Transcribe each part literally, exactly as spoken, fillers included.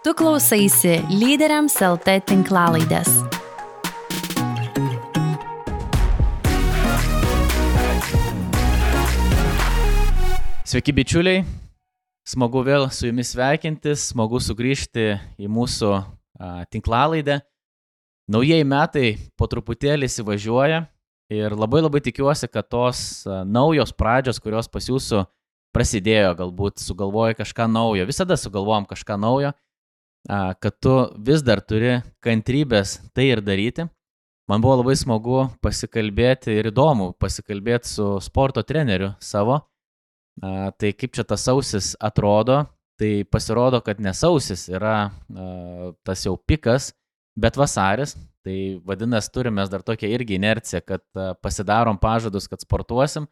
Tu klausaisi Lyderiams L T tinklalaidės. Sveiki bičiuliai, smagu vėl su jumis sveikintis, smagu sugrįžti į mūsų a, tinklalaidę. Naujieji metai po truputėlį įsivažiuoja ir labai labai tikiuosi, kad tos a, naujos pradžios, kurios pas jūsų prasidėjo, galbūt sugalvoji kažką naujo, visada sugalvojam kažką naujo, a, kad tu vis dar turi kantrybės tai ir daryti. Man buvo labai smagu pasikalbėti ir įdomu pasikalbėti su sporto treneriu savo. Uh, tai kaip čia tas sausis atrodo, tai pasirodo, kad ne sausis yra uh, tas jau pikas, bet vasaris, tai vadinasi turime dar tokią irgi inerciją, kad uh, pasidarom pažadus, kad sportuosim,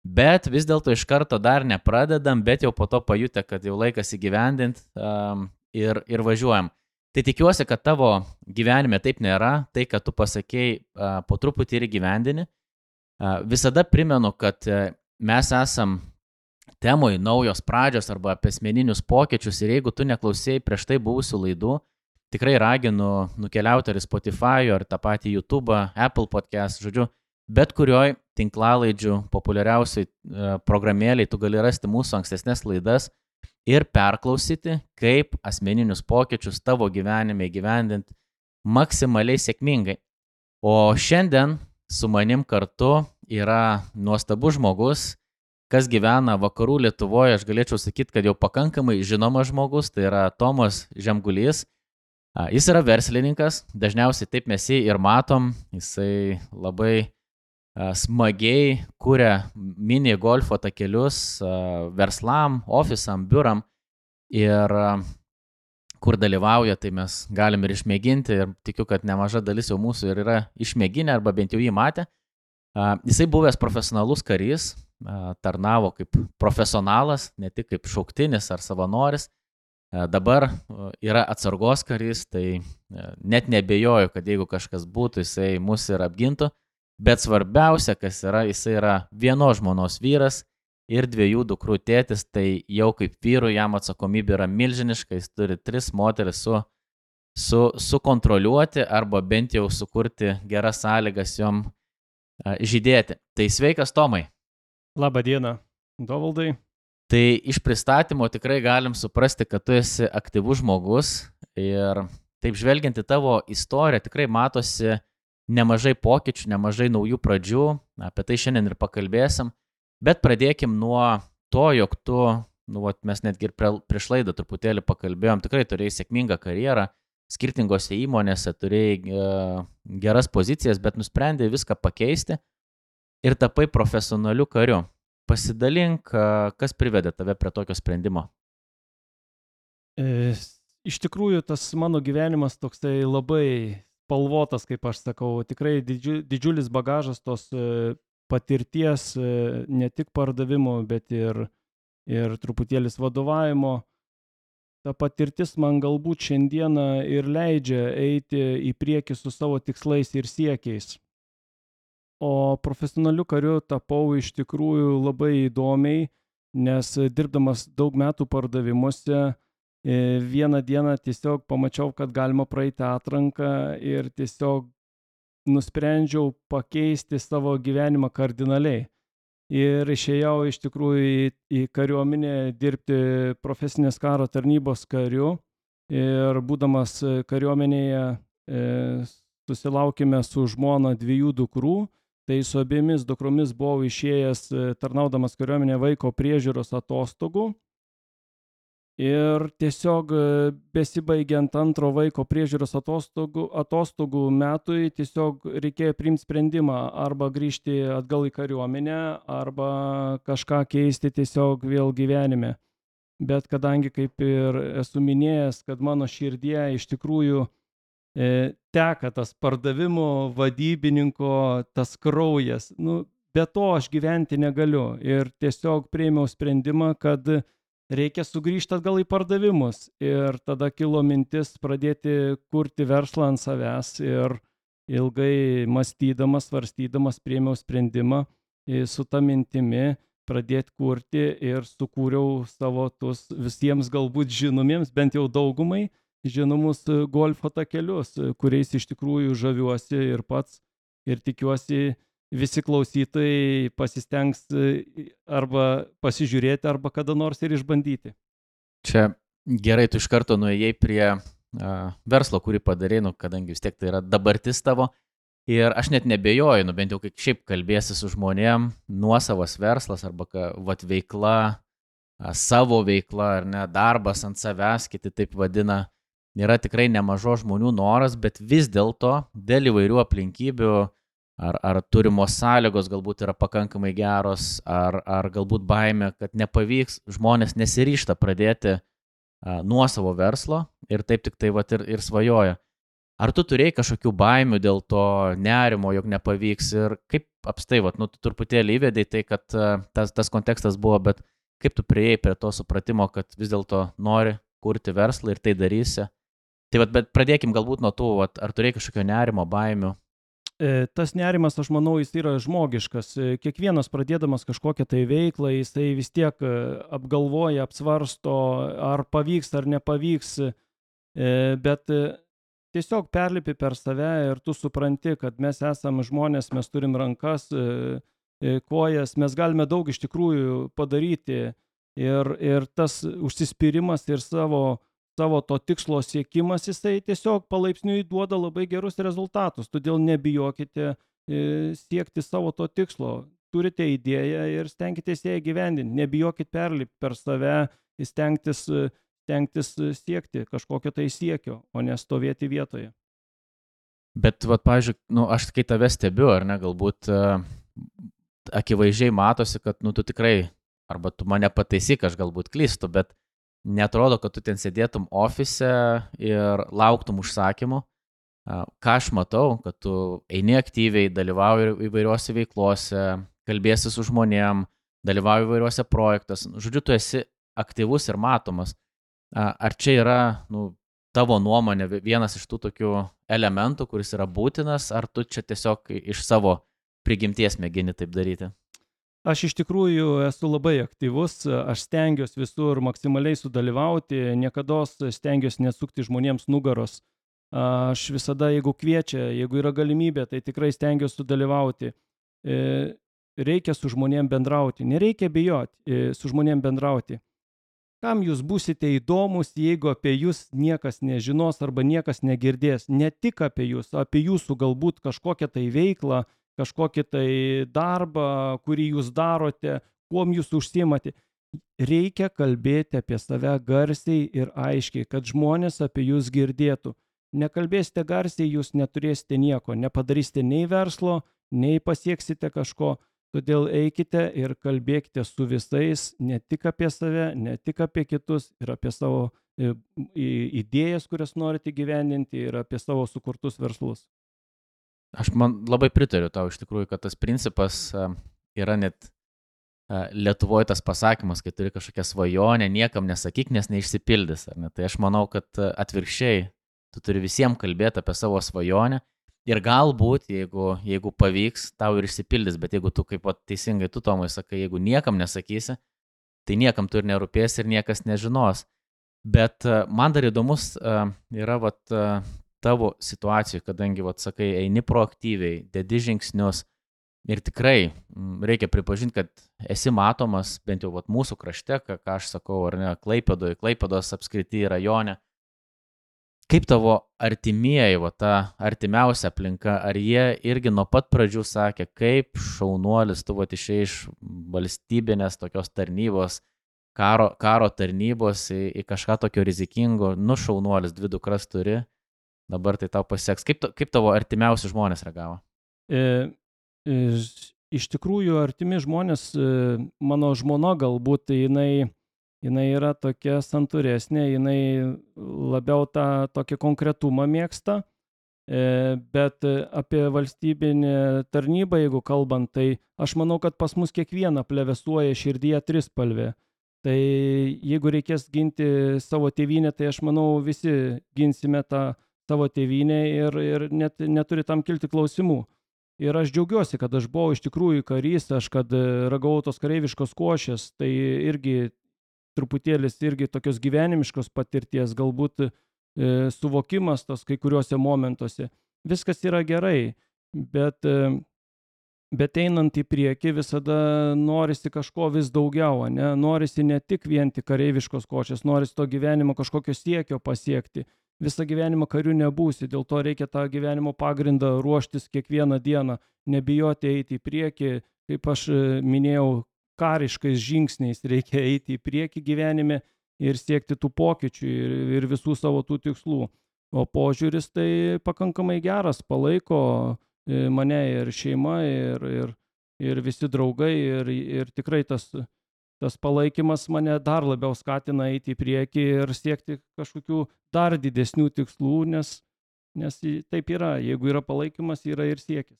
bet vis dėlto iš karto dar nepradedam, bet jau po to pajutę, kad jau laikas įgyvendint um, ir, ir važiuojam. Tai tikiuosi, kad tavo gyvenime taip nėra, tai, kad tu pasakėjai uh, po truputį ir įgyvendini. Uh, visada primenu, kad uh, mes esam temoj naujos pradžios arba apie asmeninius pokyčius ir jeigu tu neklausėjai prieš tai buvusių laidų, tikrai raginu nukeliauti ar į Spotify, ar tą patį YouTube, Apple Podcast, žodžiu, bet kurioj tinklalaidžių populiariausiai programėliai tu gali rasti mūsų ankstesnės laidas ir perklausyti, kaip asmeninius pokyčius tavo gyvenime įgyvendinti maksimaliai sėkmingai. O šiandien su manim kartu yra nuostabus žmogus, kas gyvena vakarų Lietuvoje, aš galėčiau sakyti, kad jau pakankamai žinomas žmogus, tai yra Tomas Žemgulys. Jis yra verslininkas, dažniausiai taip mes jį ir matom, jisai labai smagiai kuria mini golfo takelius verslam, ofisam, biuram ir kur dalyvauja, tai mes galim ir išmėginti ir tikiu, kad nemaža dalis jau mūsų ir yra išmėginę arba bent jau jį matę. Jisai buvęs profesionalus karys, tarnavo kaip profesionalas, ne tik kaip šauktinis ar savanoris. Dabar yra atsargos karys, tai net nebejoju, kad jeigu kažkas būtų, jisai mus ir apgintų. Bet svarbiausia, kas yra, jisai yra vienos žmonos vyras ir dviejų dukrų tėtis, tai jau kaip vyrų jam atsakomybė yra milžiniška, jis turi tris moteris su, su, sukontroliuoti arba bent jau sukurti geras sąlygas jom žydėti. Tai sveikas, Tomai. Labą dieną, Dovaldai. Tai iš pristatymo tikrai galim suprasti, kad tu esi aktyvus žmogus ir taip žvelgiant į tavo istoriją tikrai matosi nemažai pokyčių, nemažai naujų pradžių, apie tai šiandien ir pakalbėsim, bet pradėkim nuo to, jog tu, nu, vat, mes netgi ir prieš laidą truputėlį pakalbėjom, tikrai turėjai sėkmingą karjerą, skirtingose įmonėse turėjai e, geras pozicijas, bet nusprendėjai viską pakeisti ir tapai profesionaliu kariu. Pasidalink, kas privedė tave prie tokio sprendimo. E, iš tikrųjų, tas mano gyvenimas toksai labai spalvotas, kaip aš sakau, tikrai didžiu, didžiulis bagažas tos e, patirties, e, ne tik pardavimo, bet ir, ir truputėlis vadovavimo. Ta patirtis man galbūt šiandieną ir leidžia eiti į priekį su savo tikslais ir siekiais. O profesionaliu kariu tapau iš tikrųjų labai įdomiai, nes dirbdamas daug metų pardavimuose, vieną dieną tiesiog pamačiau, kad galima praeiti atranką ir tiesiog nusprendžiau pakeisti savo gyvenimą kardinaliai. Ir išėjau iš tikrųjų į, į kariuomenę dirbti profesinės karo tarnybos kariu ir būdamas kariuomenėje e, susilaukėme su žmona dviejų dukrų. Tai su abiemis dukromis buvau išėjęs tarnaudamas kariuomenėje vaiko priežiūros atostogų. Ir tiesiog besibaigiant antro vaiko priežiūros atostogų, atostogų metui tiesiog reikėjo priimti sprendimą arba grįžti atgal į kariuomenę, arba kažką keisti tiesiog vėl gyvenime. Bet kadangi, kaip ir esu minėjęs, kad mano širdie iš tikrųjų teka tas pardavimo vadybininko, tas kraujas. Nu, be to aš gyventi negaliu. Ir tiesiog priėmiau sprendimą, kad reikia sugrįžti atgal į pardavimus. Ir tada kilo mintis pradėti kurti verslą ant savęs. Ir ilgai mąstydamas, svarstydamas priėmiau sprendimą su ta mintimi pradėti kurti ir sukūriau savo tus visiems galbūt žinomiems, bent jau daugumai, žinomus golfo takelius, kuriais iš tikrųjų žaviuosi ir pats, ir tikiuosi visi klausytojai pasistengs arba pasižiūrėti, arba kada nors ir išbandyti. Čia gerai, tu iš karto nuėjai prie uh, verslo, kurį padarei, nu, kadangi vis tiek tai yra dabartis tavo. Ir aš net nebejoju, nu, bent jau kaip šiaip kalbėsi su žmonėm, nuosavas verslas arba ka, vat, veikla, a, savo veikla ar ne, darbas ant savęs, kiti taip vadina, yra tikrai nemažo žmonių noras, bet vis dėlto dėl įvairių aplinkybių, ar, ar turimos sąlygos galbūt yra pakankamai geros, ar, ar galbūt baimė, kad nepavyks, žmonės nesiryžta pradėti a, nuosavo verslo ir taip tik tai vat, ir, ir svajoja. Ar tu turėjai kažkokių baimių dėl to nerimo, jog nepavyks ir kaip apstai, vat, nu, tu truputėlį įvedai tai, kad uh, tas, tas kontekstas buvo, bet kaip tu priėjai prie to supratimo, kad vis dėlto nori kurti verslą ir tai darysi. Tai vat, bet pradėkim galbūt nuo tų, vat, ar turėjai kažkokio nerimo, baimių? Tas nerimas, aš manau, jis yra žmogiškas. Kiekvienas pradėdamas kažkokią tai veiklą, jisai vis tiek apgalvoja, apsvarsto, ar pavyks, ar nepavyks, bet tiesiog perlipi per save ir tu supranti, kad mes esame žmonės, mes turim rankas, kojas, mes galime daug iš tikrųjų padaryti ir, ir tas užsispyrimas ir savo, savo to tikslo siekimas, jisai tiesiog palaipsniui duoda labai gerus rezultatus, todėl nebijokite siekti savo to tikslo. Turite idėją ir stenkitės ją įgyvendinti, nebijokit perlipti per save, stengtis stengtis siekti kažkokio tai siekio, o ne stovėti vietoje. Bet, vat, pavyzdžiui, nu, aš kai tave stebiu, ar ne, galbūt uh, akivaizdžiai matosi, kad, nu, tu tikrai, arba tu mane pataisyk, aš galbūt klystu, bet netrodo, kad tu ten sėdėtum ofise ir lauktum užsakymų. Uh, ką aš matau, kad tu eini aktyviai, dalyvauji įvairiuose veiklose, kalbėsi su žmonėm, dalyvauji įvairiuose projektuose. Žodžiu, tu esi aktyvus ir matomas. Ar čia yra, nu, tavo nuomonė vienas iš tų tokių elementų, kuris yra būtinas, ar tu čia tiesiog iš savo prigimties mėgini taip daryti? Aš iš tikrųjų esu labai aktyvus, aš stengiuosi visur maksimaliai sudalyvauti, niekados stengiuosi nesukti žmonėms nugaros. Aš visada, jeigu kviečia, jeigu yra galimybė, tai tikrai stengiuosi sudalyvauti. Reikia su žmonėm bendrauti, nereikia bijoti su žmonėm bendrauti. Kam jūs būsite įdomus, jeigu apie jūs niekas nežinos arba niekas negirdės? Ne tik apie jūs, apie jūsų galbūt kažkokią tai veiklą, kažkokį tai darbą, kurį jūs darote, kuom jūs užsiimate. Reikia kalbėti apie save garsiai ir aiškiai, kad žmonės apie jūs girdėtų. Nekalbėsite garsiai, jūs neturėsite nieko, nepadarysite nei verslo, nei pasieksite kažko. Todėl eikite ir kalbėkite su visais, ne tik apie save, ne tik apie kitus, ir apie savo idėjas, kurias norite gyvendinti, ir apie savo sukurtus verslus. Aš man labai pritariu tau iš tikrųjų, kad tas principas yra net Lietuvoje tas pasakymas, kai turi kažkokią svajonę, niekam nesakyk, nes neišsipildys. Ar ne? Tai aš manau, kad atvirkščiai tu turi visiems kalbėti apie savo svajonę. Ir galbūt, jeigu, jeigu pavyks, tau ir išsipildys, bet jeigu tu, kaip teisingai tu, Tomai, sakai, jeigu niekam nesakysi, tai niekam tu ir nerūpės ir niekas nežinos. Bet man dar įdomus yra vat, tavo situacijų, kadangi, vat, sakai, eini proaktyviai, dedi žingsnius ir tikrai reikia pripažinti, kad esi matomas, bent jau vat, mūsų krašte, ką, ką aš sakau, ar ne, Klaipėdoje, Klaipėdos apskrity rajone. Kaip tavo artimieji, va, ta artimiausia aplinka, ar jie irgi nuo pat pradžių sakė, kaip šaunuolis, tu va, išėjai iš valstybinės tokios tarnybos, karo, karo tarnybos į, į kažką tokio rizikingo, nu šaunuolis, dvi dukras turi, dabar tai tau pasiseks. Kaip, kaip tavo artimiausi žmonės reagavo? E, e, iš tikrųjų, artimi žmonės, e, mano žmona galbūt, tai jinai... jinai yra tokia santūresnė, jinai labiau tą tokį konkretumą mėgsta, bet apie valstybinę tarnybą, jeigu kalbant, tai aš manau, kad pas mus kiekvieną plevėsuoja širdyje trispalvė. Tai jeigu reikės ginti savo tėvynę, tai aš manau, visi ginsime tą savo tėvynę ir, ir net neturi tam kilti klausimų. Ir aš džiaugiuosi, kad aš buvau iš tikrųjų karys, aš kad ragavau tos kareiviškos košės, tai irgi truputėlis irgi tokios gyvenimiškos patirties, galbūt e, suvokimas tos kai kuriuose momentuose. Viskas yra gerai, bet, e, bet einant į priekį visada norisi kažko vis daugiau, ne? Norisi ne tik vien tik kareiviškos košės, norisi to gyvenimo kažkokio siekio pasiekti. Visą gyvenimą kariu nebūsi, dėl to reikia tą gyvenimo pagrindą ruoštis kiekvieną dieną, nebijoti eiti į priekį, kaip aš e, minėjau, kariškais žingsniais reikia eiti į priekį gyvenime ir siekti tų pokyčių ir, ir visų savo tų tikslų. O požiūris tai pakankamai geras, palaiko e, mane ir šeima, ir, ir, ir visi draugai, ir, ir tikrai tas, tas palaikymas mane dar labiau skatina eiti į priekį ir siekti kažkokių dar didesnių tikslų, nes, nes taip yra, jeigu yra palaikymas, yra ir siekis.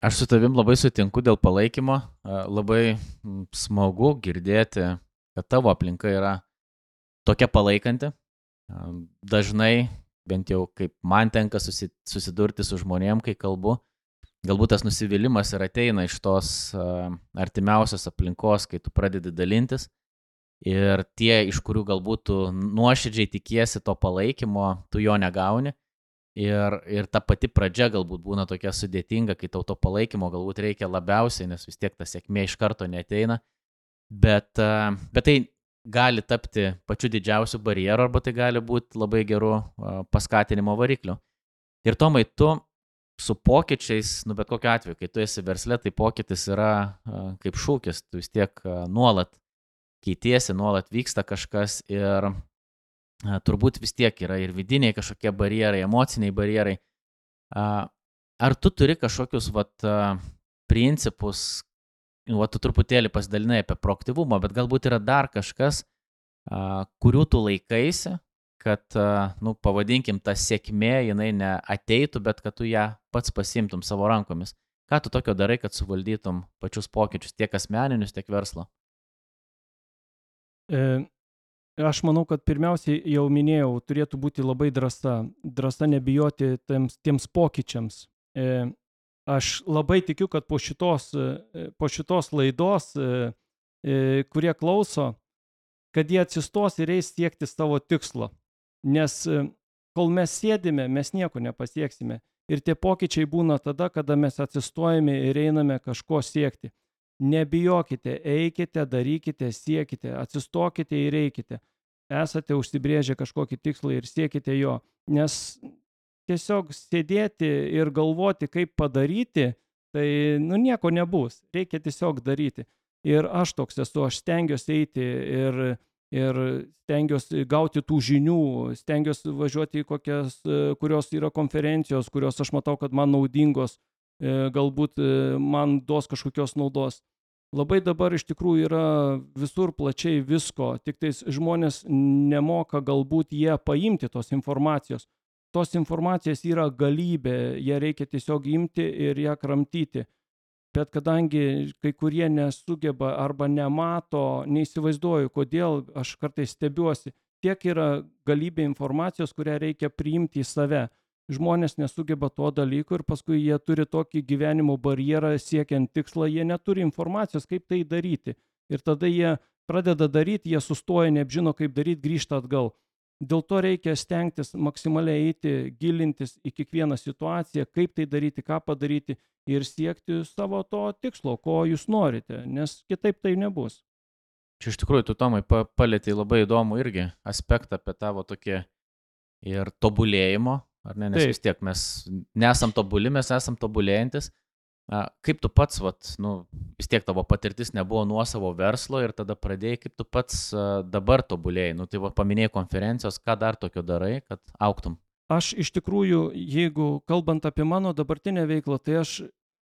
Aš su tavim labai sutinku dėl palaikymo, a, labai mm, smagu girdėti, kad tavo aplinka yra tokia palaikanti. A, Dažnai, bent jau kaip man tenka susi- susidurti su žmonėm, kai kalbu, galbūt tas nusivylimas ir ateina iš tos a, artimiausios aplinkos, kai tu pradedi dalintis. Ir tie, iš kurių galbūt tu nuoširdžiai tikiesi to palaikymo, tu jo negauni. Ir, ir ta pati pradžia galbūt būna tokia sudėtinga, kai tau to palaikymo galbūt reikia labiausiai, nes vis tiek ta sėkmė iš karto neateina. Bet, a, bet tai gali tapti pačiu didžiausiu barjeru, arba tai gali būti labai geru a, paskatinimo varikliu. Ir Tomai, tu su pokyčiais, nu bet kokiu atveju, kai tu esi versle, tai pokytis yra a, kaip šūkis, tu vis tiek a, nuolat keitiesi, nuolat vyksta kažkas ir a, turbūt vis tiek yra ir vidiniai kažkokie barjerai, emociniai barjerai. A, Ar tu turi kažkokius vat, a, principus, vat, tu truputėlį pasidalinai apie proaktyvumą, bet galbūt yra dar kažkas, a, kurių tu laikaisi, kad, a, nu, pavadinkim, ta sėkmė, jinai ne ateitų, bet kad tu ją pats pasimtum savo rankomis. Ką tu tokio darai, kad suvaldytum pačius pokyčius, tiek asmeninius, tiek verslo? E, Aš manau, kad pirmiausiai jau minėjau, turėtų būti labai drąsa. Drąsa nebijoti tiems, tiems pokyčiams. E, Aš labai tikiu, kad po šitos, e, po šitos laidos, e, e, kurie klauso, kad jie atsistos ir eis siekti savo tikslo. Nes e, kol mes sėdime, mes nieko nepasieksime. Ir tie pokyčiai būna tada, kada mes atsistojame ir einame kažko siekti. Nebijokite, eikite, darykite, siekite, atsistokite ir eikite. Esate užsibrėžę kažkokį tikslą ir siekite jo. Nes tiesiog sėdėti ir galvoti, kaip padaryti, tai nu, nieko nebus. Reikia tiesiog daryti. Ir aš toks esu, aš stengiuosi eiti ir, ir stengiuosi gauti tų žinių, stengiuosi važiuoti į kokias, kurios yra konferencijos, kurios aš matau, kad man naudingos, galbūt man duos kažkokios naudos. Labai dabar iš tikrųjų yra visur plačiai visko, tik tais žmonės nemoka galbūt jie paimti tos informacijos. Tos informacijos yra galybė, ją reikia tiesiog imti ir ją kramtyti. Bet kadangi kai kurie nesugeba arba nemato, neįsivaizduoju, kodėl aš kartais stebiuosi, tiek yra galybė informacijos, kurią reikia priimti į save. Žmonės nesugeba to dalyko ir paskui jie turi tokį gyvenimo barjerą siekiant tikslą, jie neturi informacijos, kaip tai daryti. Ir tada jie pradeda daryti, jie sustoja, neapžino, kaip daryti, grįžta atgal. Dėl to reikia stengtis maksimaliai eiti, gilintis į kiekvieną situaciją, kaip tai daryti, ką padaryti ir siekti savo to tikslo, ko jūs norite, nes kitaip tai nebus. Čia iš tikrųjų, tu, Tomai, pa- palietei labai įdomų irgi aspektą apie tavo tokį ir tobulėjimo, ar ne, nes Taip. vis tiek mes nesam tobuli, mes esam tobulėjantis. A, Kaip tu pats, vat, nu, vis tiek tavo patirtis nebuvo nuo savo verslo ir tada pradėjai, kaip tu pats a, dabar tobulėjai, nu tai va, paminėjai konferencijos, ką dar tokio darai, kad augtum? Aš iš tikrųjų, jeigu kalbant apie mano dabartinę veiklą, tai aš,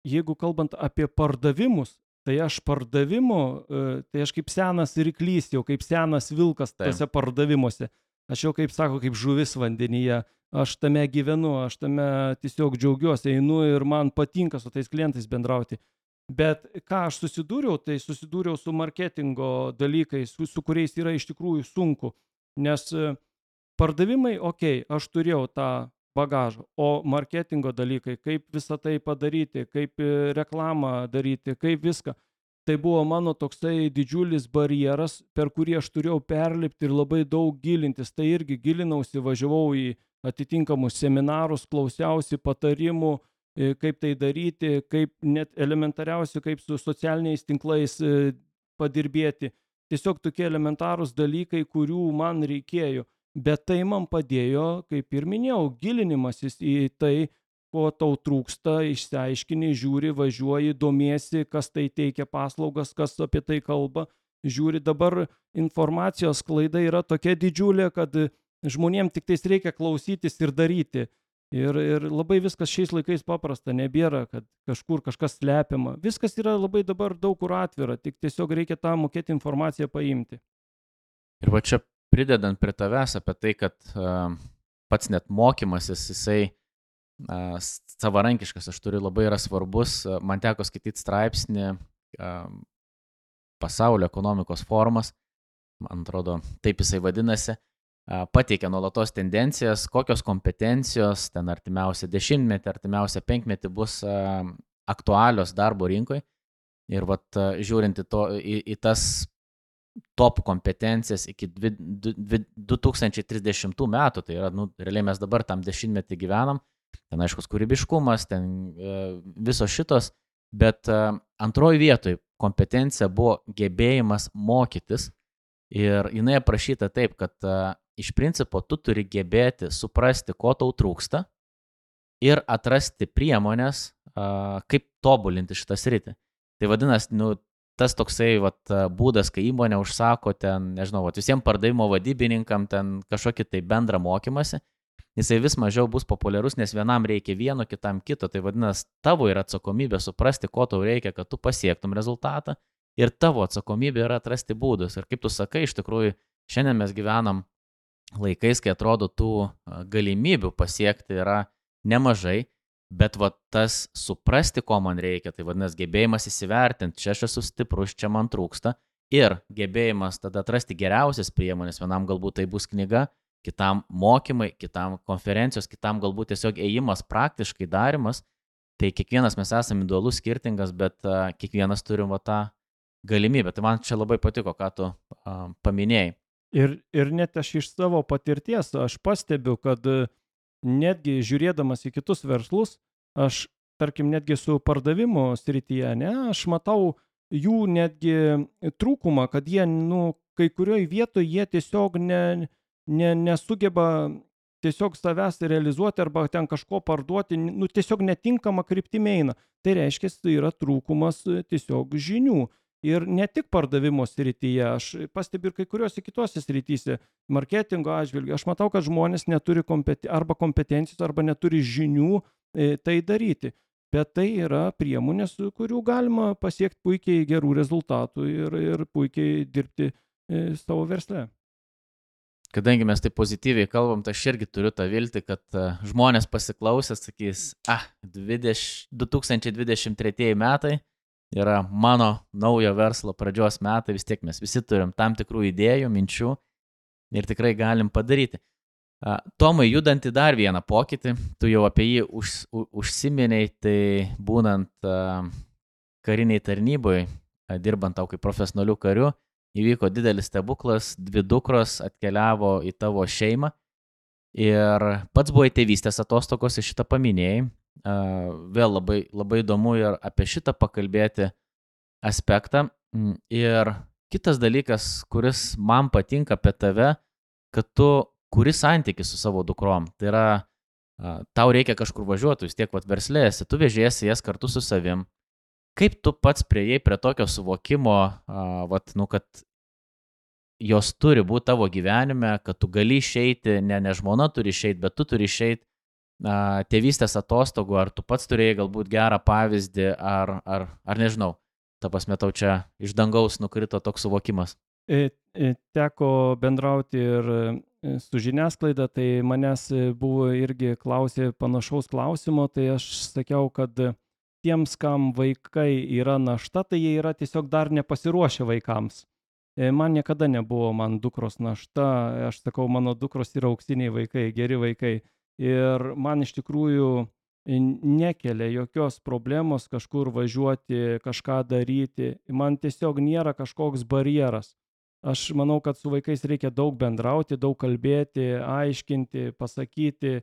jeigu kalbant apie pardavimus, tai aš pardavimu, e, tai aš kaip senas ryklys, jau kaip senas vilkas Taip. tose pardavimuose. Aš jau, kaip sako, kaip žuvis vandenyje. Aš tame gyvenu, aš tame tiesiog džiaugiuosi, einu ir man patinka su tais klientais bendrauti. Bet ką aš susidūriau, tai susidūriau su marketingo dalykais, su, su kuriais yra iš tikrųjų sunku. Nes e, pardavimai, okei, okay, aš turėjau tą bagažą, o marketingo dalykai, kaip visą tai padaryti, kaip e, reklamą daryti, kaip viską. tai buvo mano toksai didžiulis barjeras, per kurį aš turėjau perlipti ir labai daug gilintis. Tai irgi gilinausi, važiavau į atitinkamus seminarus, klausiausi patarimų, kaip tai daryti, kaip net elementariausi, kaip su socialiniais tinklais padirbėti. Tiesiog tokie elementarūs dalykai, kurių man reikėjo. Bet tai man padėjo, kaip ir minėjau, gilinimasis į tai, ko tau trūksta, išsiaiškini, žiūri, važiuoji, domiesi, kas tai teikia paslaugas, kas apie tai kalba. Žiūri, dabar informacijos sklaida yra tokia didžiulė, kad žmonėms tik tais reikia klausytis ir daryti. Ir, ir labai viskas šiais laikais paprasta, nebėra, kad kažkur kažkas slepiama. Viskas yra labai dabar daug kur atvira, tik tiesiog reikia tą mokėti informaciją paimti. Ir va čia pridedant prie tavęs apie tai, kad uh, pats net mokymasis, jisai uh, savarankiškas, aš turiu labai yra svarbus, uh, man teko skaityti straipsnį uh, Pasaulio ekonomikos forumas, man atrodo, taip jisai vadinasi, pateikia nuolatos tendencijas, kokios kompetencijos ten artimiausią dešimtmetį, artimiausią penkmetį bus aktualios darbo rinkoje. Ir vat, žiūrint į, to, į, į tas top kompetencijas iki du tūkstančiai trisdešimtų metų, tai yra, nu, realiai mes dabar tam dešimtmetį gyvenam, ten aiškus kūrybiškumas, ten visos šitos, bet antroji vietoj kompetencija buvo gebėjimas mokytis. Ir jinai aprašyta taip, kad uh, iš principo tu turi gebėti suprasti, ko tau trūksta ir atrasti priemonės, uh, kaip tobulinti šitą sritį. Tai vadinasi, nu, tas toksai vat, būdas, kai įmonė užsako ten, nežinau, vat, visiems pardavimo vadybininkam ten kažkokį tai bendrą mokymasi, jisai vis mažiau bus populiarus, nes vienam reikia vieno, kitam kito. Tai vadinasi, tavo yra atsakomybė suprasti, ko tau reikia, kad tu pasiektum rezultatą. Ir tavo atsakomybė yra atrasti būdus. Ir kaip tu sakai, iš tikrųjų, šiandien mes gyvenam laikais, kai atrodo tų galimybių pasiekti yra nemažai, bet va tas suprasti, ko man reikia, tai vadinasi gebėjimas įsivertinti, čia aš esu stiprus, čia man trūksta, ir gebėjimas tada atrasti geriausias priemonės, vienam galbūt tai bus knyga, kitam mokymai, kitam konferencijos, kitam galbūt tiesiog ėjimas, praktiškai darimas, tai kiekvienas mes esame individualus, skirtingas, bet uh, kiekvienas turim va tą galimybę. Tai man čia labai patiko, ką tu uh, paminėjai. Ir, ir net aš iš savo patirties, aš pastebiu, kad netgi žiūrėdamas į kitus verslus, aš, tarkim, netgi su pardavimo srityje, ne, aš matau jų netgi trūkumą, kad jie, nu, kai kurioje vietoje jie tiesiog ne, ne, nesugeba tiesiog savęs realizuoti arba ten kažko parduoti, nu, tiesiog netinkama kryptimi eina. Tai reiškia, tai yra trūkumas tiesiog žinių. Ir ne tik pardavimo srityje, aš pastebiu ir kai kuriuose kitose srityse, marketingo atžvilgiu, aš matau, kad žmonės neturi kompeten- arba kompetencijos, arba neturi žinių e, tai daryti. Bet tai yra priemonės, kurių galima pasiekti puikiai gerų rezultatų ir, ir puikiai dirbti e, savo versle. Kadangi mes taip pozityviai kalbam, tai aš irgi turiu tą viltį, kad uh, žmonės pasiklausęs sakys, ah, dvidešimt, du tūkstančiai dvidešimt treči metai, yra mano naujo verslo pradžios metai, vis tiek mes visi turim tam tikrų idėjų, minčių ir tikrai galim padaryti. Tomai, judant į dar vieną pokytį, tu jau apie jį už, užsiminiai, tai būnant kariniai tarnyboje, dirbant tau kaip profesionalių karių, įvyko didelis stebuklas, dvi dukros atkeliavo į tavo šeimą ir pats buvai tėvystės atostogos, iš šitą paminėjai. Vėl labai, labai įdomu ir apie šitą pakalbėti aspektą. Ir kitas dalykas, kuris man patinka apie tave, kad tu kuri santykį su savo dukrom. Tai yra, tau reikia kažkur važiuoti, vis tiek vat verslėsi, tu vežėsi jas kartu su savim. Kaip tu pats priėjai prie tokio suvokimo, vat, nu, kad jos turi būti tavo gyvenime, kad tu gali išeiti, ne, ne žmona turi išeiti, bet tu turi išeiti tėvystės atostogų, ar tu pats turėjai galbūt gerą pavyzdį, ar, ar, ar nežinau, ta prasme tau čia iš dangaus nukrito toks suvokimas. Teko bendrauti ir su žiniasklaida, tai manęs buvo irgi klausė panašaus klausimo, tai aš sakiau, kad tiems, kam vaikai yra našta, tai jie yra tiesiog dar nepasiruošę vaikams. Man niekada nebuvo man dukros našta, aš sakau, mano dukros yra auksiniai vaikai, geri vaikai. Ir man iš tikrųjų nekelia jokios problemos kažkur važiuoti, kažką daryti. Man tiesiog nėra kažkoks barjeras. Aš manau, kad su vaikais reikia daug bendrauti, daug kalbėti, aiškinti, pasakyti,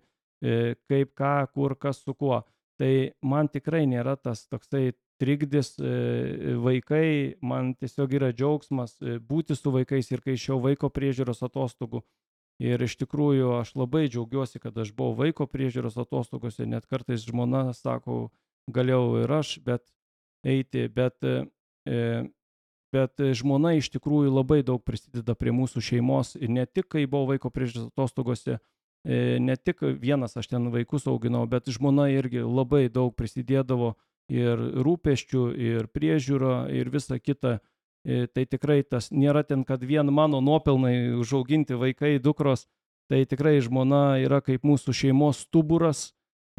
kaip ką, kur, kas su kuo. Tai man tikrai nėra tas toksai trikdis vaikai, man tiesiog yra džiaugsmas būti su vaikais ir kai išėjau vaiko priežiūros atostogų. Ir iš tikrųjų aš labai džiaugiuosi, kad aš buvau vaiko priežiūros atostogose, net kartais žmona sako, galėjau ir aš bet eiti, bet, bet žmona iš tikrųjų labai daug prisideda prie mūsų šeimos ir ne tik, kai buvau vaiko priežiūros atostogose, ne tik vienas aš ten vaikus auginau, bet žmona irgi labai daug prisidėdavo ir rūpesčių, ir priežiūro, ir visa kita. Tai tikrai tas nėra ten, kad vien mano nuopelnai užauginti vaikai, dukros, tai tikrai žmona yra kaip mūsų šeimos stuburas,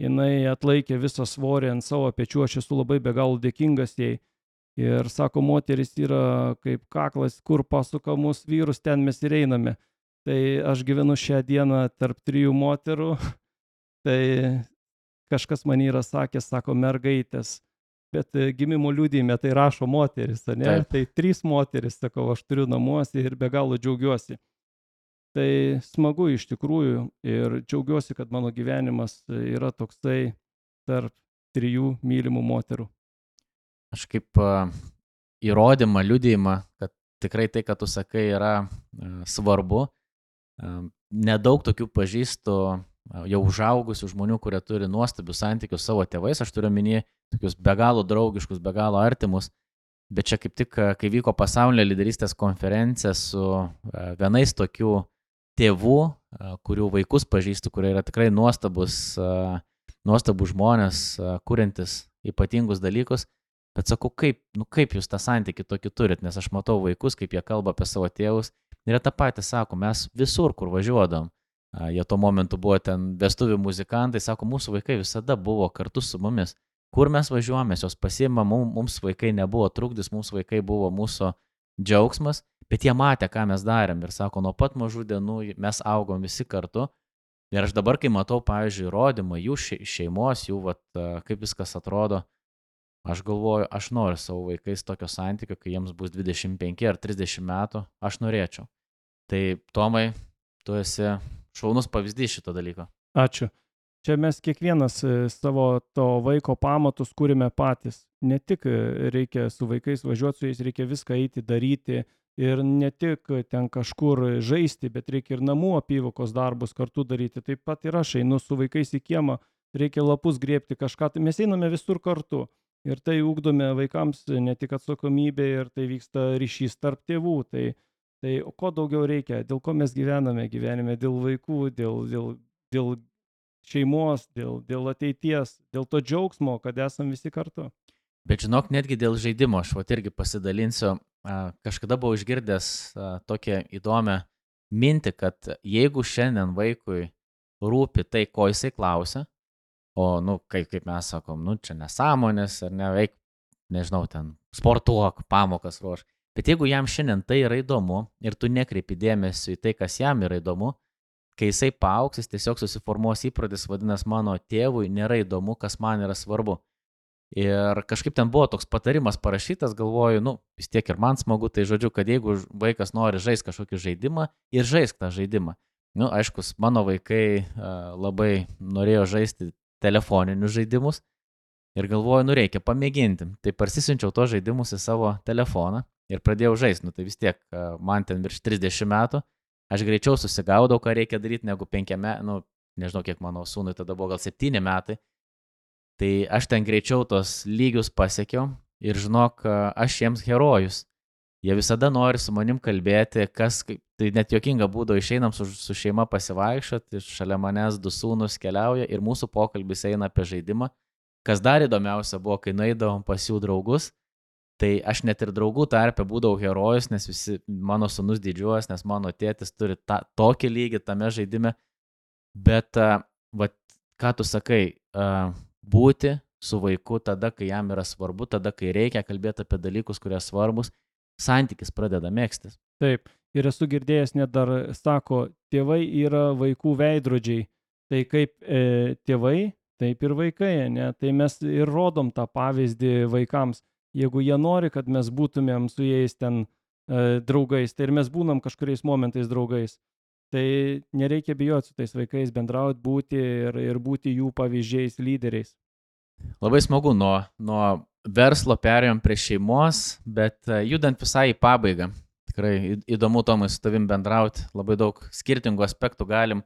jinai atlaikė visą svorį ant savo pečių, aš esu labai be galo dėkingas jai. Ir sako, moteris yra kaip kaklas, kur pasuka mūsų vyrus, ten mes ir einame. Tai aš gyvenu šią dieną tarp trijų moterų, tai kažkas man yra sakęs, sako, mergaitės. Bet gimimo liudijime tai rašo moteris, ne? Taip. Tai trys moteris, sakau, aš turiu namuose ir be galo džiaugiuosi. Tai smagu iš tikrųjų ir džiaugiuosi, kad mano gyvenimas yra toksai tarp trijų mylimų moterų. Aš kaip uh, įrodymą, liudijimą, kad tikrai tai, kad tu sakai, yra uh, svarbu. Uh, nedaug tokių pažįstu jau užaugusių žmonių, kurie turi nuostabius santykius savo tėvais, aš turiu minėti tokius be galo draugiškus, be galo artimus, bet čia kaip tik, kai vyko pasaulinė lyderystės konferencija su vienais tokių tėvų, kurių vaikus pažįstu, kurie yra tikrai nuostabus, nuostabus žmonės, kuriantis ypatingus dalykus, bet sakau, kaip, nu, kaip jūs tą santykį tokį turit, nes aš matau vaikus, kaip jie kalba apie savo tėvus, ir tą patį sako, mes visur, kur važiuodam, jie tuo momentu buvo ten vestuvių muzikantai, sako, mūsų vaikai visada buvo kartu su mumis. Kur mes važiuojame, jos pasiima, mums vaikai nebuvo trukdis, mums vaikai buvo mūsų džiaugsmas, bet jie matė, ką mes darėm. Ir sako, nuo pat mažų dienų mes augom visi kartu. Ir aš dabar, kai matau, pavyzdžiui, įrodymą jų šeimos, jų, vat, kaip viskas atrodo, aš galvoju, aš noriu savo vaikais tokio santykio, kai jiems bus dvidešimt penki ar trisdešimt metų, aš norėčiau. Tai, Tomai, tu esi šaunus pavyzdys šito dalyko. Ačiū. Čia mes kiekvienas savo to vaiko pamatus kūrime patys. Ne tik reikia su vaikais važiuoti su jais, reikia viską eiti daryti ir ne tik ten kažkur žaisti, bet reikia ir namų apyvokos darbus kartu daryti. Taip pat ir aš einu su vaikais į kiemą, reikia lapus griebti kažką. Mes einame visur kartu ir tai ugdome vaikams ne tik atsakomybė ir tai vyksta ryšys tarp tėvų. Tai Tai ko daugiau reikia, dėl ko mes gyvename gyvenime, dėl vaikų, dėl, dėl, dėl šeimos, dėl, dėl ateities, dėl to džiaugsmo, kad esam visi kartu. Bet žinok, netgi dėl žaidimo, aš vat irgi pasidalinsiu, kažkada buvau išgirdęs tokią įdomią mintį, kad jeigu šiandien vaikui rūpi tai, ko jisai klausia, o, nu, kaip, kaip mes sakom, nu, čia nesąmonės ar neveik, nežinau, ten sportuok, pamokas ruoš. Bet jeigu jam šiandien tai yra įdomu ir tu nekreipi dėmesio į tai, kas jam yra įdomu, kai jisai paaugs, jis tiesiog susiformuos įprotis, vadinasi, mano tėvui nėra įdomu, kas man yra svarbu. Ir kažkaip ten buvo toks patarimas parašytas, galvoju, nu, vis tiek ir man smagu, tai žodžiu, kad jeigu vaikas nori žaisti kažkokį žaidimą ir žaisk tą žaidimą. Nu, aiškus, mano vaikai uh, labai norėjo žaisti telefoninius žaidimus ir galvoju, nu, reikia pamėginti. Tai parsisinčiau to žaidimus į savo telefoną. Ir pradėjau žaisti, nu tai vis tiek, man ten virš trisdešimt metų, aš greičiau susigaudau, ką reikia daryti, negu penkiame, nu, nežinau, kiek mano sūnui, tada buvo gal septyni metai. Tai aš ten greičiau tos lygius pasiekiau ir žinok, aš jiems herojus. Jie visada nori su manim kalbėti, kas, tai net juokinga būdavo, išeinam su, su šeima pasivaikščioti, šalia manęs du sūnus keliauja ir mūsų pokalbis eina apie žaidimą. Kas dar įdomiausia buvo, kai nueidavom pas jų draugus, tai aš net ir draugų tarpe būdavau herojus, nes visi mano sūnus didžiuojas, nes mano tėtis turi ta, tokį lygį tame žaidime. Bet, uh, va, ką tu sakai, uh, būti su vaiku tada, kai jam yra svarbu, tada, kai reikia kalbėti apie dalykus, kurie svarbus, santykis pradeda megztis. Taip, ir esu girdėjęs, net dar sako, tėvai yra vaikų veidrodžiai. Tai kaip e, tėvai taip ir vaikai, ne? Tai mes ir rodom tą pavyzdį vaikams. Jeigu jie nori, kad mes būtumėm su jais ten e, draugais, tai ir mes būnam kažkuriais momentais draugais. Tai nereikia bijoti su tais vaikais bendrauti, būti ir, ir būti jų pavyzdžiais, lyderiais. Labai smagu, nuo, nuo verslo perėjom prie šeimos, bet judant visai į pabaigą. Tikrai įdomu, Tomai, su tavim bendrauti, labai daug skirtingų aspektų galim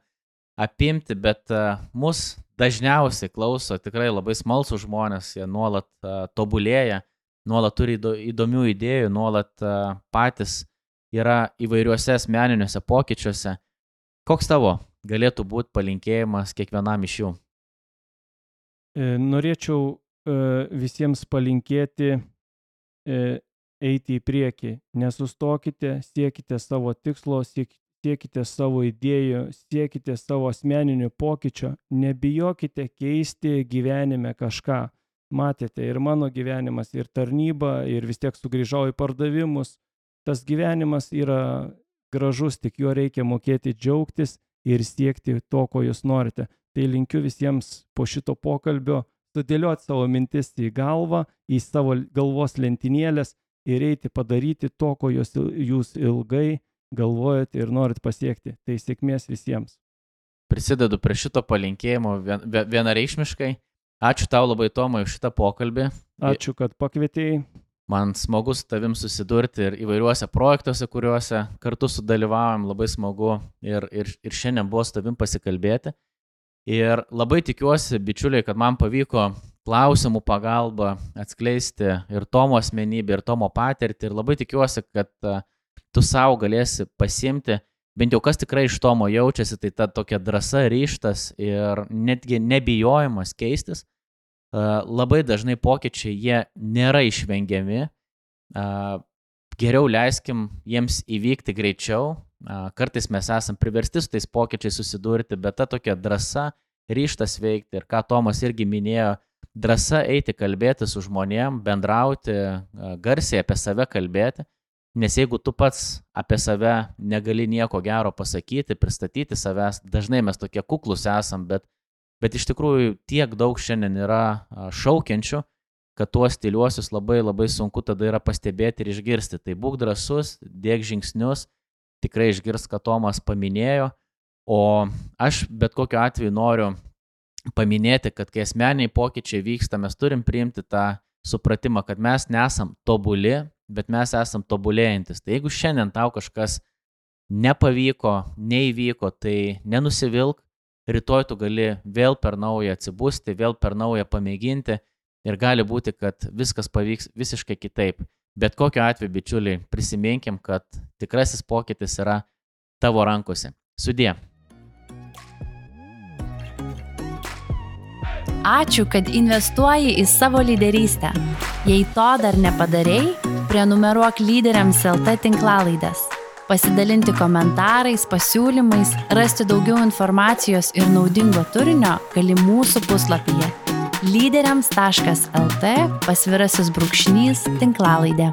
apimti, bet uh, mus dažniausiai klauso tikrai labai smalsūs žmonės, jie nuolat uh, tobulėja, nuolat turi įdomių idėjų, nuolat uh, patys yra įvairiuose asmeniniuose pokyčiuose. Koks tavo galėtų būti palinkėjimas kiekvienam iš jų? E, norėčiau e, visiems palinkėti e, eiti į priekį. Nesustokite, siekite savo tikslo, siek, siekite savo idėjų, siekite savo asmeninių pokyčio, nebijokite keisti gyvenime kažką. Matėte, ir mano gyvenimas, ir tarnyba, ir vis tiek sugrįžau į pardavimus. Tas gyvenimas yra gražus, tik juo reikia mokėti džiaugtis ir siekti to, ko jūs norite. Tai linkiu visiems po šito pokalbio sudėlioti savo mintis į galvą, į savo galvos lentynėlės ir eiti padaryti to, ko jūs, jūs ilgai galvojate ir norit pasiekti. Tai sėkmės visiems. Prisidedu prie šito palinkėjimo vien, vienareikšmiškai. Ačiū tau labai, Tomai, už šitą pokalbį. Ačiū, kad pakvietėjai. Man smagu su tavim susidurti ir įvairiuose projektuose, kuriuose kartu sudalyvavom, labai smagu ir, ir, ir šiandien buvo su tavim pasikalbėti. Ir labai tikiuosi, bičiuliai, kad man pavyko klausimų pagalba atskleisti ir Tomo asmenybę, ir Tomo patirtį. Ir labai tikiuosi, kad uh, tu savo galėsi pasimti, bent jau kas tikrai iš Tomo jaučiasi, tai ta tokia drąsa, ryžtas ir netgi nebijojimas keistis. Uh, labai dažnai pokyčiai jie nėra išvengiami. Uh, geriau leiskim jiems įvykti greičiau. Uh, kartais mes esam priversti su tais pokyčiais susidurti, bet ta tokia drąsa, ryžtas veikti ir ką Tomas irgi minėjo, drąsa eiti kalbėti su žmonėm, bendrauti, uh, garsiai apie save kalbėti. Nes jeigu tu pats apie save negali nieko gero pasakyti, pristatyti savęs, dažnai mes tokie kuklus esam, bet Bet iš tikrųjų tiek daug šiandien yra šaukiančių, kad tuos tyliuosius labai labai sunku tada yra pastebėti ir išgirsti. Tai būk drąsus, dėk žingsnius, tikrai išgirs, ką Tomas paminėjo. O aš bet kokiu atveju noriu paminėti, kad kai asmeniai pokyčiai vyksta, mes turim priimti tą supratimą, kad mes nesam tobuli, bet mes esam tobulėjantis. Tai jeigu šiandien tau kažkas nepavyko, neįvyko, tai nenusivilk. Rytoj tu gali vėl per naują atsibusti, vėl per naują pamėginti ir gali būti, kad viskas pavyks visiškai kitaip. Bet kokiu atveju, bičiuliai, prisiminkim, kad tikrasis pokytis yra tavo rankose. Sudie. Ačiū, kad investuoji į savo lyderystę. Jei to dar nepadarei, prenumeruok Lyderiams L T tinklalaides. Pasidalinti komentarais, pasiūlymais, rasti daugiau informacijos ir naudingo turinio gali mūsų puslapyje lyderiams taškas lt pasvirasis brūkšnys tinklalaidė.